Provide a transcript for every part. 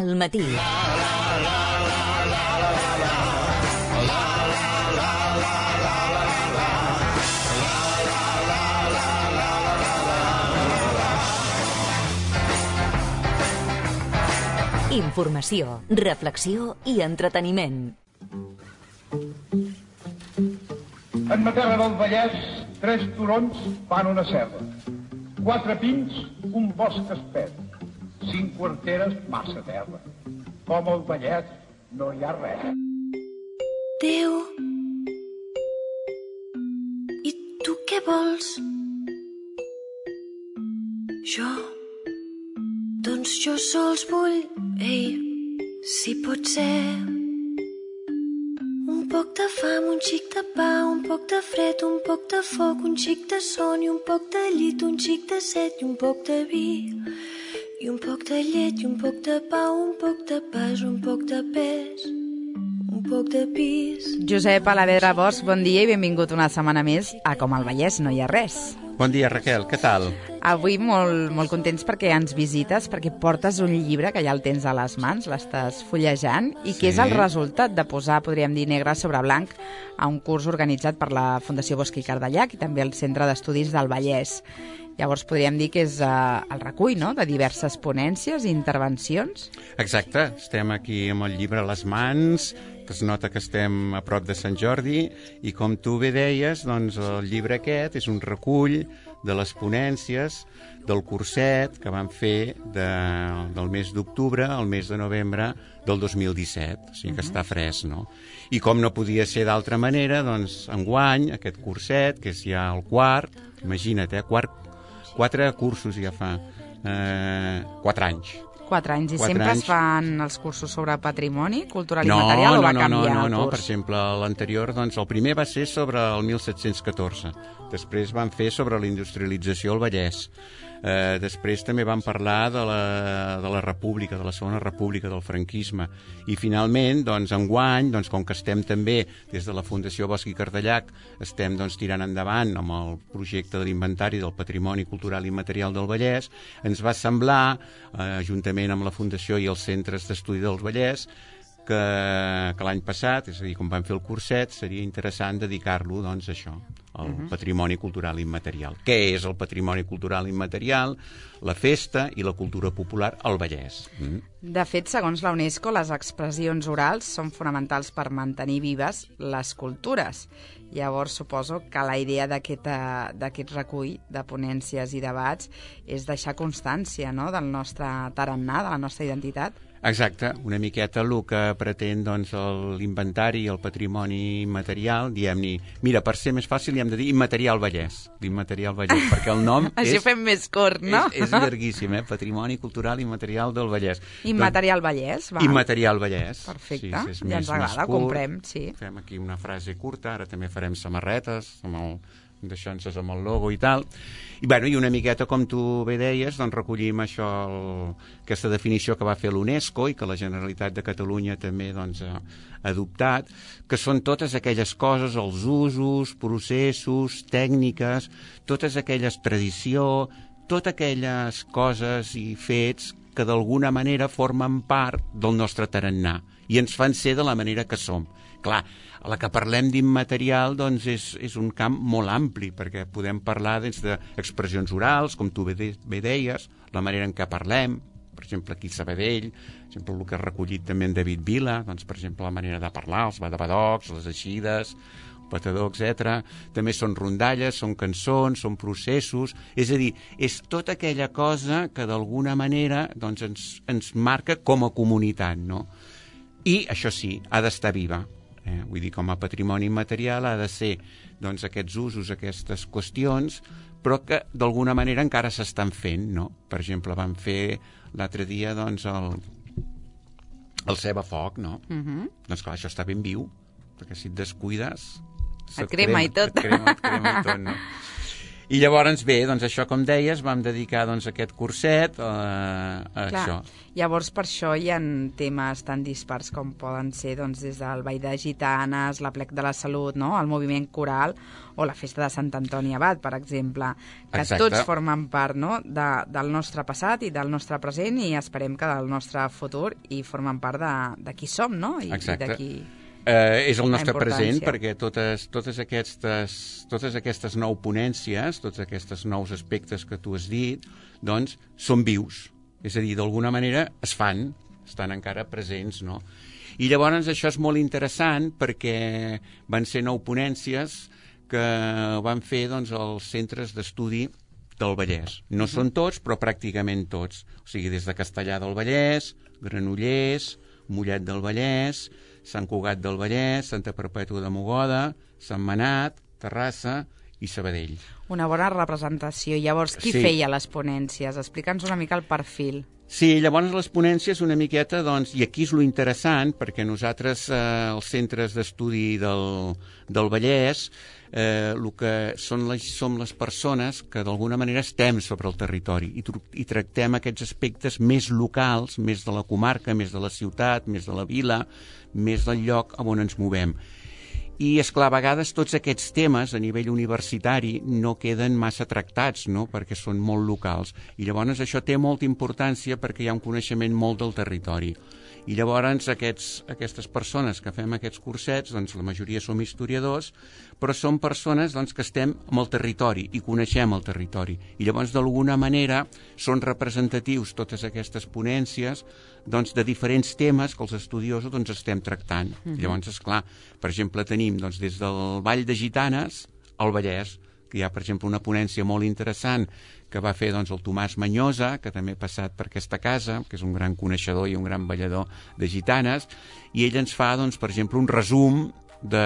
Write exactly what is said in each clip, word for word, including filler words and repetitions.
al matí. Informació, reflexió i entreteniment. En ma terra del Vallès, tres turons fan una serra. Quatre pins, un bosc espès. Cinc quarteres, massa terra. Com al Vallès no hi ha res. Déu, i tu què vols? Jo, doncs jo sols vull, ei, si pot ser. Un poc de fam, un xic de pa, un poc de fred, un poc de foc, un xic de son i un poc de llit, un xic de set i un poc de vi, i un poc de llet i un poc de pa, un poc de pas, un poc de pes, un poc de pis. Josep Alavedra Bosch, bon dia i benvingut una setmana més a Com al Vallès no hi ha res. Bon dia, Raquel, què tal? Avui molt, molt contents perquè ens visites, perquè portes un llibre que ja el tens a les mans, l'estàs fullejant, i Sí. que és el resultat de posar, podríem dir, negre sobre blanc a un curs organitzat per la Fundació Bosch i Cardellac i també el Centre d'Estudis del Vallès. Llavors podríem dir que és uh, el recull, no?, de diverses ponències i intervencions. Exacte, estem aquí amb el llibre a les mans, que es nota que estem a prop de Sant Jordi, i com tu bé deies, doncs el llibre aquest és un recull de les ponències del curset que vam fer de, del mes d'octubre al mes de novembre del dos mil disset, o sigui que uh-huh. està fresc, no? I com no podia ser d'altra manera, doncs enguany aquest curset, que és ja el quart, imagina't, eh, quart, quatre cursos ja fa, eh, quatre anys. Quatre anys. I Quatre sempre anys. es fan els cursos sobre patrimoni cultural no, i material o no, va no, canviar no, no, el no, curs? per exemple, l'anterior, doncs el primer va ser sobre el mil set-cents catorze, després van fer sobre la industrialització al Vallès, eh, després també van parlar de la, de la República, de la Segona República, del franquisme, i finalment, doncs, enguany, doncs, com que estem també des de la Fundació Bosch i Cardellac, estem doncs, tirant endavant amb el projecte de l'inventari del patrimoni cultural i material del Vallès, ens va semblar, eh, juntament amb la Fundació i els centres d'estudi del Vallès, que, que l'any passat, és a dir, quan vam fer el curset, seria interessant dedicar-lo doncs, a això, al uh-huh. patrimoni cultural immaterial. Què és el patrimoni cultural immaterial? La festa i la cultura popular al Vallès. Mm. De fet, segons la UNESCO, les expressions orals són fonamentals per mantenir vives les cultures. Llavors, suposo que la idea d'aquest, d'aquest recull de ponències i debats és deixar constància, no?, del nostre tarannà, de la nostra identitat. Exacte, una miqueta el que pretén doncs, l'inventari i el patrimoni immaterial, diem-ne, mira, per ser més fàcil hi hem de dir immaterial Vallès, l'immaterial Vallès, perquè el nom Així és... ho fem més curt, no? És, és llarguíssim, eh? Patrimoni cultural immaterial del Vallès. Immaterial Vallès, va. Immaterial Vallès. Perfecte, sí, és ja més, ens agrada, ho comprem, sí. Fem aquí una frase curta, ara també farem samarretes, amb el... deixant-se amb el logo i tal, i, bueno, i una miqueta, com tu bé deies, doncs recollim això, el, aquesta definició que va fer l'UNESCO i que la Generalitat de Catalunya també doncs, ha adoptat, que són totes aquelles coses, els usos, processos, tècniques, totes aquelles tradició, totes aquelles coses i fets que d'alguna manera formen part del nostre tarannà i ens fan ser de la manera que som. Clar, a la que parlem d'immaterial doncs és, és un camp molt ampli, perquè podem parlar des d'expressions orals, com tu bé, de, bé deies, la manera en què parlem, per exemple, aquí a Sabadell, per exemple, el que ha recollit també en David Vila, doncs, per exemple, la manera de parlar, els badabadocs, les eixides, el patador, etcètera. També són rondalles, són cançons, són processos, és a dir, és tota aquella cosa que d'alguna manera doncs, ens, ens marca com a comunitat, no? I, això sí, ha d'estar viva. Eh, vull dir, com a patrimoni immaterial ha de ser doncs, aquests usos, aquestes qüestions, però que d'alguna manera encara s'estan fent, no? Per exemple, vam fer l'altre dia doncs, el, el ceba foc, no? Uh-huh. Doncs clar, això està ben viu, perquè si et descuides... Et crema, crema i tot. Et crema, et crema i tot, no? I llavors, bé, doncs això, com deies, vam dedicar doncs, aquest curset a, a Clar. això. Llavors, per això hi ha temes tan dispars com poden ser doncs, des del Ball de Gitanes, l'Aplec de la Salut, no? El moviment coral o la festa de Sant Antoni Abat, per exemple, que Exacte. Tots formen part, no? de, del nostre passat i del nostre present i esperem que del nostre futur i formen part de, de qui som, no? I, Exacte. I de qui... Eh, és el nostre importància. present perquè totes, totes, aquestes, totes aquestes nou ponències, tots aquests nous aspectes que tu has dit, doncs són vius. És a dir, d'alguna manera es fan, estan encara presents, no? I llavors això és molt interessant perquè van ser nou ponències que van fer doncs, els centres d'estudi del Vallès. No uh-huh. són tots, però pràcticament tots. O sigui, des de Castellar del Vallès, Granollers, Mollet del Vallès, Sant Cugat del Vallès, Santa Perpètua de Mogoda, Sant Manat, Terrassa i Sabadell. Una bona representació. Llavors, qui Sí. feia les ponències? Explica'ns una mica el perfil. Sí, llavors les ponències una miqueta, doncs, i aquí és lo interessant, perquè nosaltres, eh, els centres d'estudi del, del Vallès, eh, el que són les, som les persones que d'alguna manera estem sobre el territori i, i tractem aquests aspectes més locals, més de la comarca, més de la ciutat, més de la vila, més del lloc on ens movem. I, esclar, a vegades tots aquests temes a nivell universitari no queden massa tractats, no?, perquè són molt locals. I llavors això té molta importància perquè hi ha un coneixement molt del territori. I llavors aquests, aquestes persones que fem aquests cursets, doncs la majoria som historiadors, però són persones doncs, que estem amb el territori i coneixem el territori. I llavors d'alguna manera són representatius totes aquestes ponències doncs, de diferents temes que els estudiosos doncs, estem tractant. Uh-huh. Llavors, esclar, per exemple, tenim doncs, des del Ball de Gitanes al Vallès, que hi ha, per exemple, una ponència molt interessant que va fer doncs, el Tomàs Manyosa, que també ha passat per aquesta casa, que és un gran coneixedor i un gran ballador de gitanes, i ell ens fa, doncs, per exemple, un resum de,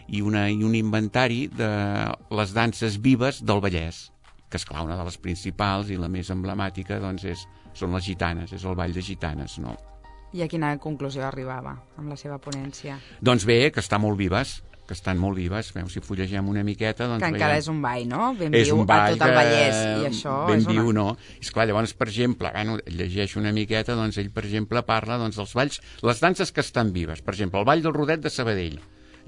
i, una, i un inventari de les danses vives del Vallès, que, esclar, una de les principals i la més emblemàtica doncs, és, són les gitanes, és el Ball de Gitanes, no? I a quina conclusió arribava amb la seva ponència? Doncs bé, que està molt vives, que estan molt vives. Veu, si fullegem una miqueta... Doncs que encara veiem... és un ball, no? Ben és viu un ball a tot el Vallès. que... I això ben és una... viu, no? Esclar, llavors, per exemple, bueno, llegeixo una miqueta, doncs ell, per exemple, parla doncs, dels balls, les danses que estan vives. Per exemple, el Ball del Rodet de Sabadell.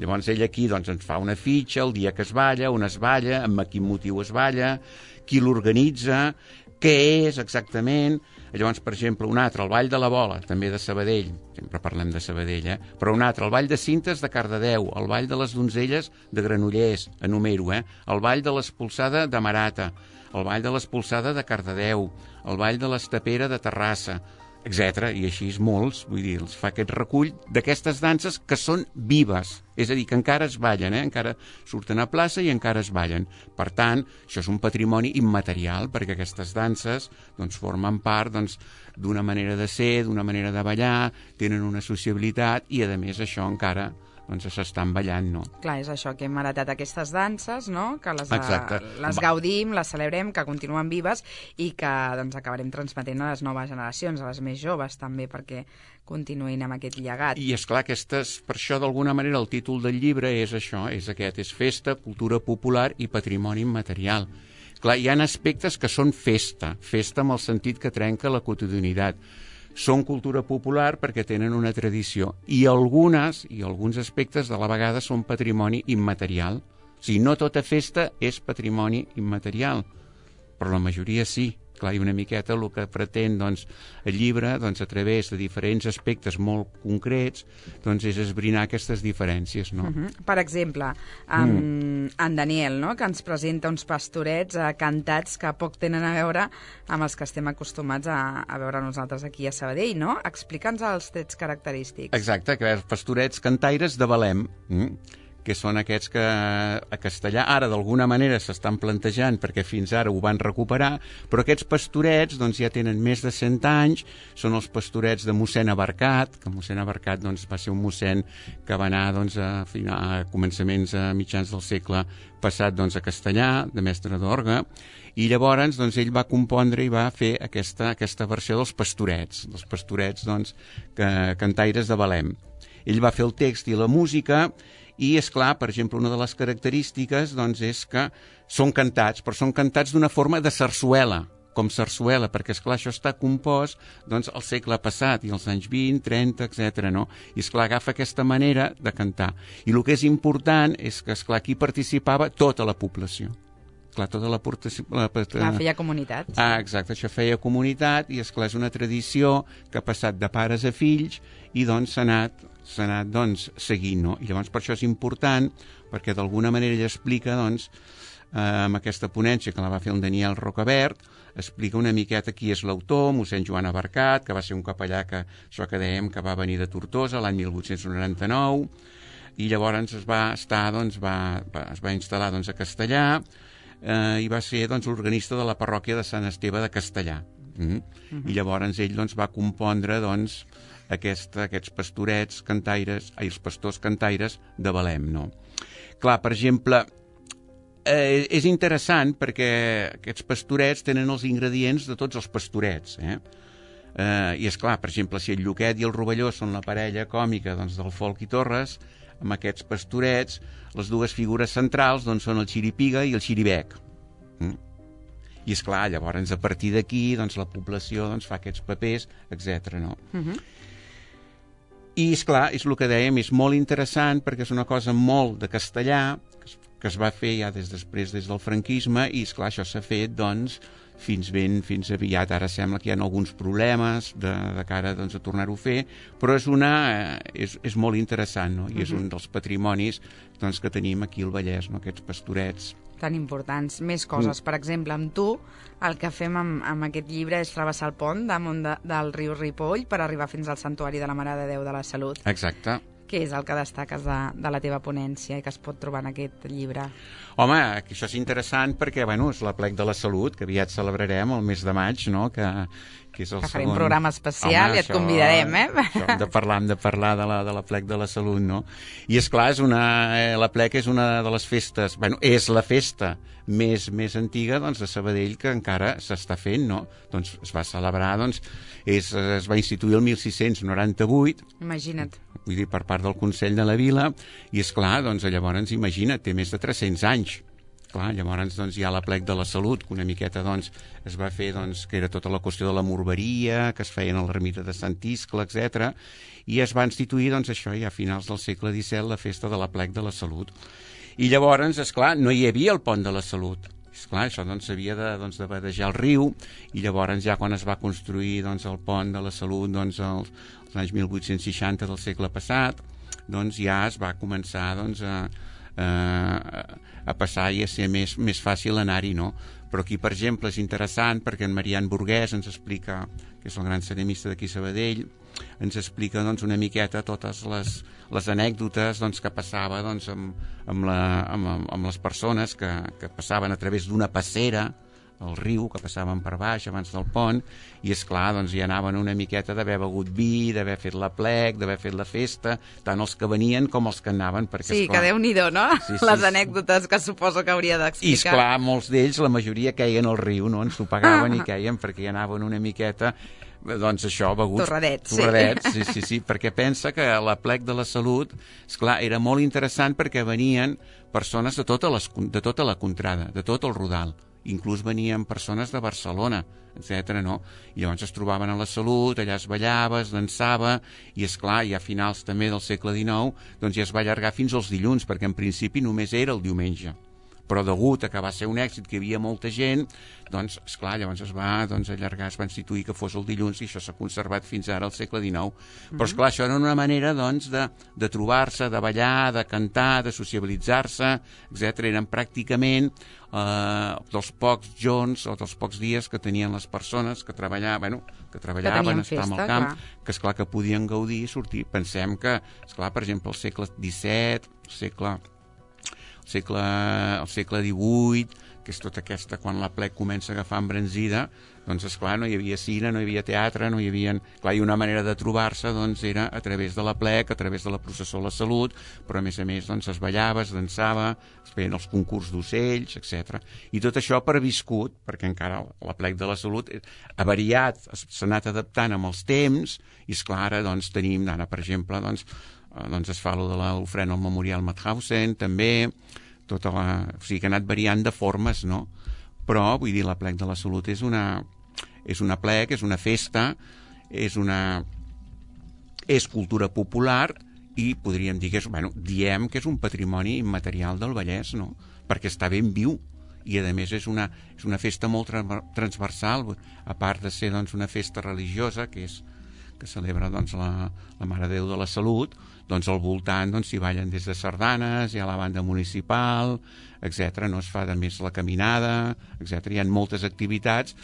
Llavors ell aquí doncs, ens fa una fitxa, el dia que es balla, on es balla, amb quin motiu es balla, qui l'organitza, què és exactament. Llavors, per exemple, un altre, el Ball de la Bola, també de Sabadell, sempre parlem de Sabadell, eh? Però un altre, el Ball de Cintes de Cardedeu, el Ball de les Donzelles de Granollers, enumero, eh? El Ball de l'Espolsada de Marata, el Ball de l'Espolsada de Cardedeu, el Ball de l'Estapera de Terrassa, etcètera. I així és molts, vull dir, els fa aquest recull d'aquestes danses que són vives, és a dir, que encara es ballen, eh? Encara surten a plaça i encara es ballen. Per tant, això és un patrimoni immaterial, perquè aquestes danses doncs, formen part doncs, d'una manera de ser, d'una manera de ballar, tenen una sociabilitat i, a més, això encara doncs s'estan ballant, no? Clar, és això, que hem heretat aquestes danses, no?, que les, Exacte. les gaudim, les celebrem, que continuen vives i que doncs, acabarem transmetent a les noves generacions, a les més joves també, perquè continuïn amb aquest llegat. I, esclar, aquestes, per això, d'alguna manera, el títol del llibre és això, és aquest, és Festa, Cultura Popular i Patrimoni Immaterial. Clar, hi ha aspectes que són festa, festa amb el sentit que trenca la quotidianitat. Són cultura popular perquè tenen una tradició i algunes i alguns aspectes de la vegada són patrimoni immaterial. O sigui, no tota festa és patrimoni immaterial, però la majoria sí. Clar, i una miqueta el que pretén doncs, el llibre, doncs, a través de diferents aspectes molt concrets, doncs, és esbrinar aquestes diferències, no? Uh-huh. Per exemple, en, mm. en Daniel, no?, que ens presenta uns pastorets eh, cantats que poc tenen a veure amb els que estem acostumats a, a veure nosaltres aquí a Sabadell, no? Explica'ns els trets característics. Exacte, que els pastorets cantaires de Belém, mm? que són aquests que a Castellà ara d'alguna manera s'estan plantejant perquè fins ara ho van recuperar, però aquests pastorets doncs, ja tenen més de cent anys, són els pastorets de mossèn Abarcat, que mossèn Abarcat doncs, va ser un mossèn que va anar doncs, a, final, a començaments a mitjans del segle passat doncs, a Castellà, de mestre d'orgue, i llavors doncs, ell va compondre i va fer aquesta, aquesta versió dels pastorets, dels pastorets doncs, que, cantaires de Belém. Ell va fer el text i la música I, és clar, per exemple, una de les característiques doncs, és que són cantats, però són cantats d'una forma de sarsuela, com sarsuela, perquè, esclar, això està compost doncs, al segle passat, i als anys vint, trenta, etcètera, no? I, esclar, agafa aquesta manera de cantar. I el que és important és que, esclar, aquí participava tota la població. Clar, tota la participació... Clar, feia comunitat. Ah, exacte, això feia comunitat, i, esclar, és una tradició que ha passat de pares a fills, i, doncs, s'ha anat, s'ha anat, doncs, seguint, no? I llavors per això és important, perquè d'alguna manera ell explica, doncs, eh, amb aquesta ponència que la va fer el Daniel Rocabert, explica una miqueta qui és l'autor, mossèn Joan Abarcat, que va ser un capellà que, això que dèiem, que va venir de Tortosa l'any mil vuit-cents noranta-nou, i llavors es va estar, doncs, va, va, es va instal·lar, doncs, a Castellà, eh, i va ser, doncs, l'organista de la parròquia de Sant Esteve de Castellà. Mm? Uh-huh. I llavors ell, doncs, va compondre, doncs, aquesta, aquests pastorets cantaires, ai, els pastors cantaires de Belém, no? Clar, per exemple, Eh, és interessant perquè aquests pastorets tenen els ingredients de tots els pastorets, eh? Eh, I és clar, per exemple, si el Lluquet i el Rovelló són la parella còmica, doncs, del Folk i Torres, amb aquests pastorets, les dues figures centrals, doncs, són el Xiripiga i el Xiribec. Mm? I és clar, llavors, a partir d'aquí, doncs, la població, doncs, fa aquests papers, etcètera, no? Uh-huh. I, és clar, és el que dèiem, és molt interessant perquè és una cosa molt de castellà, que es va fer ja des després des del franquisme, i, esclar, això s'ha fet, doncs, fins ben, fins aviat. Ara sembla que hi ha alguns problemes de, de cara, doncs, a tornar-ho a fer, però és una, eh, és, és molt interessant, no? I uh-huh. és un dels patrimonis, doncs, que tenim aquí al Vallès, no? Aquests pastorets. Tan importants. Més coses. Mm. Per exemple, amb tu, el que fem amb, amb aquest llibre és travessar el pont damunt de, del riu Ripoll per arribar fins al Santuari de la Mare de Déu de la Salut. Exacte. Què és el que destaques de, de la teva ponència i que es pot trobar en aquest llibre? Home, això és interessant perquè, bueno, és l'aplec de la Salut, que aviat celebrarem el mes de maig, no?, que, que és el que farem segon... un programa especial. Home, i et això, convidarem, eh? Això, hem de parlar, hem de parlar de la, de l'aplec de la Salut, no? I, és clar, és una, eh, l'aplec és una de les festes, bueno, és la festa més, més antiga, doncs, de Sabadell, que encara s'està fent, no? Doncs es va celebrar, doncs, és, es va instituir el mil sis-cents noranta-vuit. Imagina't. Vull dir, per part del Consell de la Vila, i, és clar, doncs, llavors, imagina't, té més de tres-cents anys. Clar, llavors, doncs, hi ha l'aplec de la Salut, que una miqueta, doncs, es va fer, doncs, que era tota la qüestió de la morberia, que es feien a l'ermita de Sant Iscle, etcètera, i es va instituir, doncs, això, ja a finals del segle disset, la festa de l'aplec de la Salut. I llavors, esclar, no hi havia el pont de la Salut. Esclar, això doncs s'havia de, doncs, de badejar el riu, i llavors ja quan es va construir, doncs, el pont de la Salut, doncs, als, als anys mil vuit-cents seixanta del segle passat, doncs ja es va començar, doncs, a, a, a passar i a ser més, més fàcil anar-hi, no? Però aquí, per exemple, és interessant perquè en Marian Burguès ens explica, que és el gran ceramista d'aquí Sabadell, ens explica, doncs, una miqueta totes les, les anècdotes, doncs, que passava, doncs, amb, amb, la, amb, amb les persones que, que passaven a través d'una passera al riu, que passaven per baix abans del pont, i, és clar, doncs, hi anaven una miqueta d'haver begut vi, d'haver fet l'aplec, d'haver fet la festa, tant els que venien com els que anaven. Perquè, sí, esclar, que Déu-n'hi-do, no? Sí, sí, les sí. Anècdotes que suposo que hauria d'explicar. I, esclar, molts d'ells, la majoria queien al riu, no? Ens ho pagaven i queien perquè hi anaven una miqueta, doncs això, beguts... Torradets, torradets sí. sí, sí, sí, perquè pensa que l'aplec de la Salut, esclar, era molt interessant perquè venien persones de tota, les, de tota la contrada, de tot el Rodal. Inclús venien persones de Barcelona, etcètera, no? I llavors es trobaven a la Salut, allà es ballava, es dansava, i, esclar, ja a finals també del segle dinou, doncs ja es va allargar fins als dilluns, perquè en principi només era el diumenge. Però degut a que va ser un èxit, que hi havia molta gent, doncs, esclar, llavors es va, doncs, allargar, es va instituir que fos el dilluns, i això s'ha conservat fins ara al segle dinou. Mm-hmm. Però, esclar, això era una manera, doncs, de, de trobar-se, de ballar, de cantar, de sociabilitzar-se, etcètera. Eren pràcticament eh, dels pocs jorns o dels pocs dies que tenien les persones que treballaven, bueno, que treballaven, que estaven festa, al camp, clar. que, esclar, que podien gaudir i sortir. Pensem que, esclar, per exemple, el segle disset, el segle... El segle, el segle divuit, que és tota aquesta, quan l'aplec comença a agafar embranzida, doncs, esclar, no hi havia cine, no hi havia teatre, no hi havia... Clar, i una manera de trobar-se, doncs, era a través de l'aplec, a través de la processó a la Salut, però, a més a més, doncs, es ballava, es dansava, es feien els concurs d'ocells, etcètera. I tot això previscut, perquè encara l'aplec de la Salut ha variat, s'ha anat adaptant amb els temps, i, esclar, ara, doncs, tenim, ara, per exemple, doncs, doncs es fa lo de l'ofrena al Memorial Mauthausen, també, tota la... o sigui que ha anat variant de formes, no? Però, vull dir, l'Aplec de la Salut és una, és una aplec, és una festa, és una... és cultura popular i podríem dir que és, bueno, diem que és un patrimoni immaterial del Vallès, no? Perquè està ben viu i a més és una, és una festa molt transversal, a part de ser doncs, una festa religiosa que és que celebra doncs, la, la Mare de Déu de la Salut, doncs al voltant doncs, s'hi ballen des de sardanes, hi ha la banda municipal, etcètera. No es fa de més la caminada, etcètera. Hi ha moltes activitats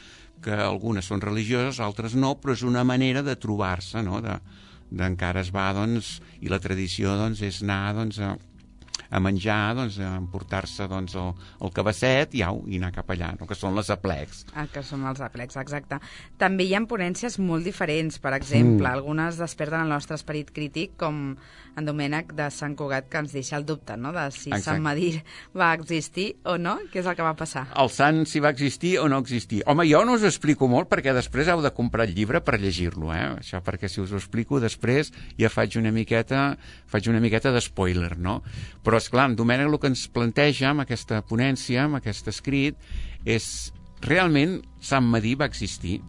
que algunes són religioses, altres no, però és una manera de trobar-se, no? De, d'encara es va, doncs, i la tradició doncs, és anar doncs, a, a menjar, doncs, a emportar-se doncs, el, el cabasset i, au, i anar cap allà, no? Que són les aplecs. Ah, que són els aplecs, exacte. També hi ha ponències molt diferents, per exemple, mm. algunes desperten el nostre esperit crític, com en Domènec de Sant Cugat, que ens deixa el dubte, no?, de si Exacte. Sant Medir va existir o no, què és el que va passar? El sant, si va existir o no existir. Home, jo no us ho explico molt, perquè després heu de comprar el llibre per llegir-lo, eh? Això perquè si us ho explico després ja faig una miqueta, faig una miqueta de spoiler, no? Però, esclar, en Domènec el que ens planteja amb aquesta ponència, amb aquest escrit, és realment Sant Medir va existir,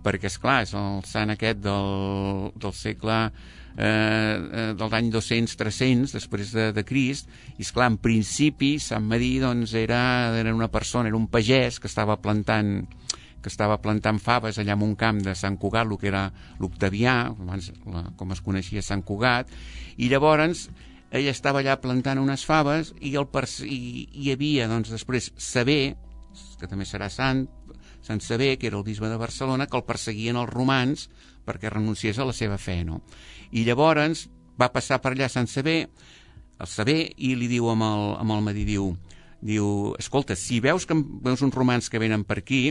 perquè, esclar, és el sant aquest del, del segle eh, de l'any dos-cents tres-cents després de, de Crist, i esclar, en principi Sant Medir doncs, era, era una persona, era un pagès que estava plantant que estava plantant faves allà en un camp de Sant Cugat, el que era l'Octavià, abans la, com es coneixia Sant Cugat, i llavors ell estava allà plantant unes faves i, el i hi havia doncs, després Sever, que també serà sant, Sant Sever, que era el bisbe de Barcelona, que el perseguien els romans perquè renunciés a la seva fe, no? I llavors va passar per allà Sant Sever, el Sever, i li diu amb el, amb el Medir, diu, diu, escolta, si veus que veus uns romans que venen per aquí,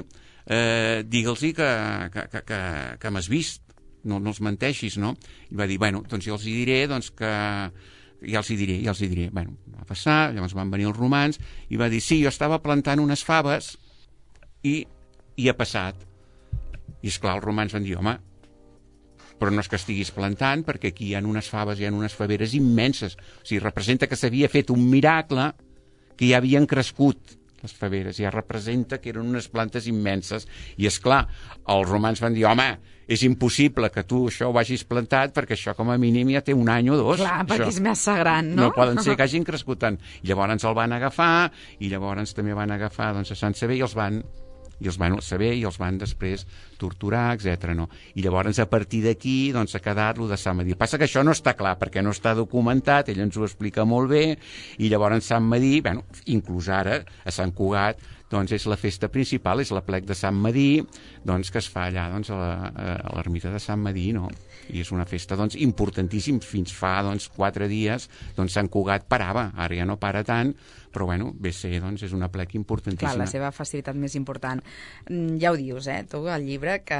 eh, digue'ls-hi que, que, que, que, que m'has vist, no, no els menteixis, no? I va dir, bueno, doncs jo els hi diré, doncs que... ja els hi diré, ja els hi diré. Bueno, va passar, llavors van venir els romans, i va dir, sí, jo estava plantant unes faves i, i ha passat. I esclar, els romans van dir, home, però no és que estiguis plantant, perquè aquí hi ha unes faves, hi ha unes faveres immenses. O sigui, representa que s'havia fet un miracle, que ja havien crescut les faveres, ja representa que eren unes plantes immenses. I és clar, els romans van dir, home, és impossible que tu això ho hagis plantat, perquè això com a mínim ja té un any o dos. Clar, perquè això. És massa gran, no? No poden ser que hagin crescut tant. I llavors el van agafar, i llavors també van agafar doncs, a Sant Sever i els van... i els van saber i els van després torturar, etcètera. No? I llavors a partir d'aquí doncs, ha quedat lo de Sant Medir. Passa que això no està clar perquè no està documentat, ell ens ho explica molt bé, i llavors Sant Medir, bueno, inclús ara a Sant Cugat, doncs és la festa principal, és l'aplec de Sant Medir, doncs, que es fa allà doncs, a l'ermita de Sant Medir, no? I és una festa doncs, importantíssima. Fins fa doncs, quatre dies doncs, Sant Cugat parava, ara ja no para tant, però bueno, ve ser, doncs, és una aplec importantíssima. Clar, la seva festivitat més important. Ja ho dius, eh, tu, el llibre, que,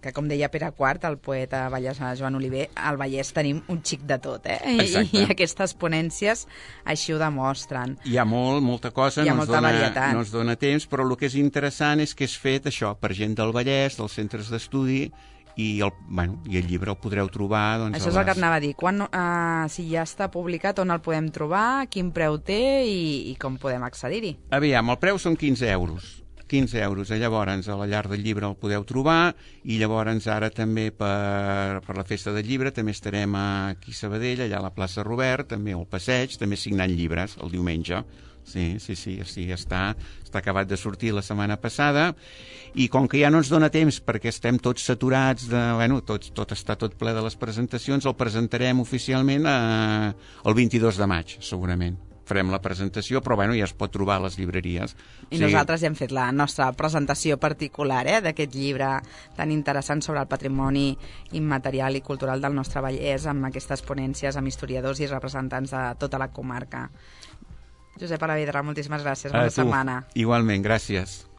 que com deia Pere Quart, el poeta vallesà Joan Oliver, al Vallès tenim un xic de tot, eh? I, i aquestes ponències així ho demostren. Hi ha molt, molta cosa, Hi ha no, molta ens dona, varietat. no ens dona temps, però el que és interessant és que és fet això per gent del Vallès, dels centres d'estudi, i el, bueno, i el llibre el podreu trobar... Doncs, Això és el que et anava a dir. Quan, uh, si ja està publicat, on el podem trobar, quin preu té i, i com podem accedir-hi? Aviam, el preu són quinze euros. quinze euros. Llavors, a la llar del llibre el podeu trobar, i llavors ara també per, per la festa del llibre també estarem aquí a Sabadell, allà a la plaça Robert, també al passeig, també signant llibres el diumenge. Sí, sí, sí, sí, està, està acabat de sortir la setmana passada, i com que ja no ens dona temps perquè estem tots saturats, de, bueno, tot, tot està tot ple de les presentacions, el presentarem oficialment eh, el vint-i-dos de maig, segurament. Farem la presentació, però bueno, ja es pot trobar a les llibreries. I sí. Nosaltres ja hem fet la nostra presentació particular eh, d'aquest llibre tan interessant sobre el patrimoni immaterial i cultural del nostre Vallès, amb aquestes ponències amb historiadors i representants de tota la comarca. Josep Alavedra, moltíssimes gràcies. Bona setmana. Igualment, gràcies.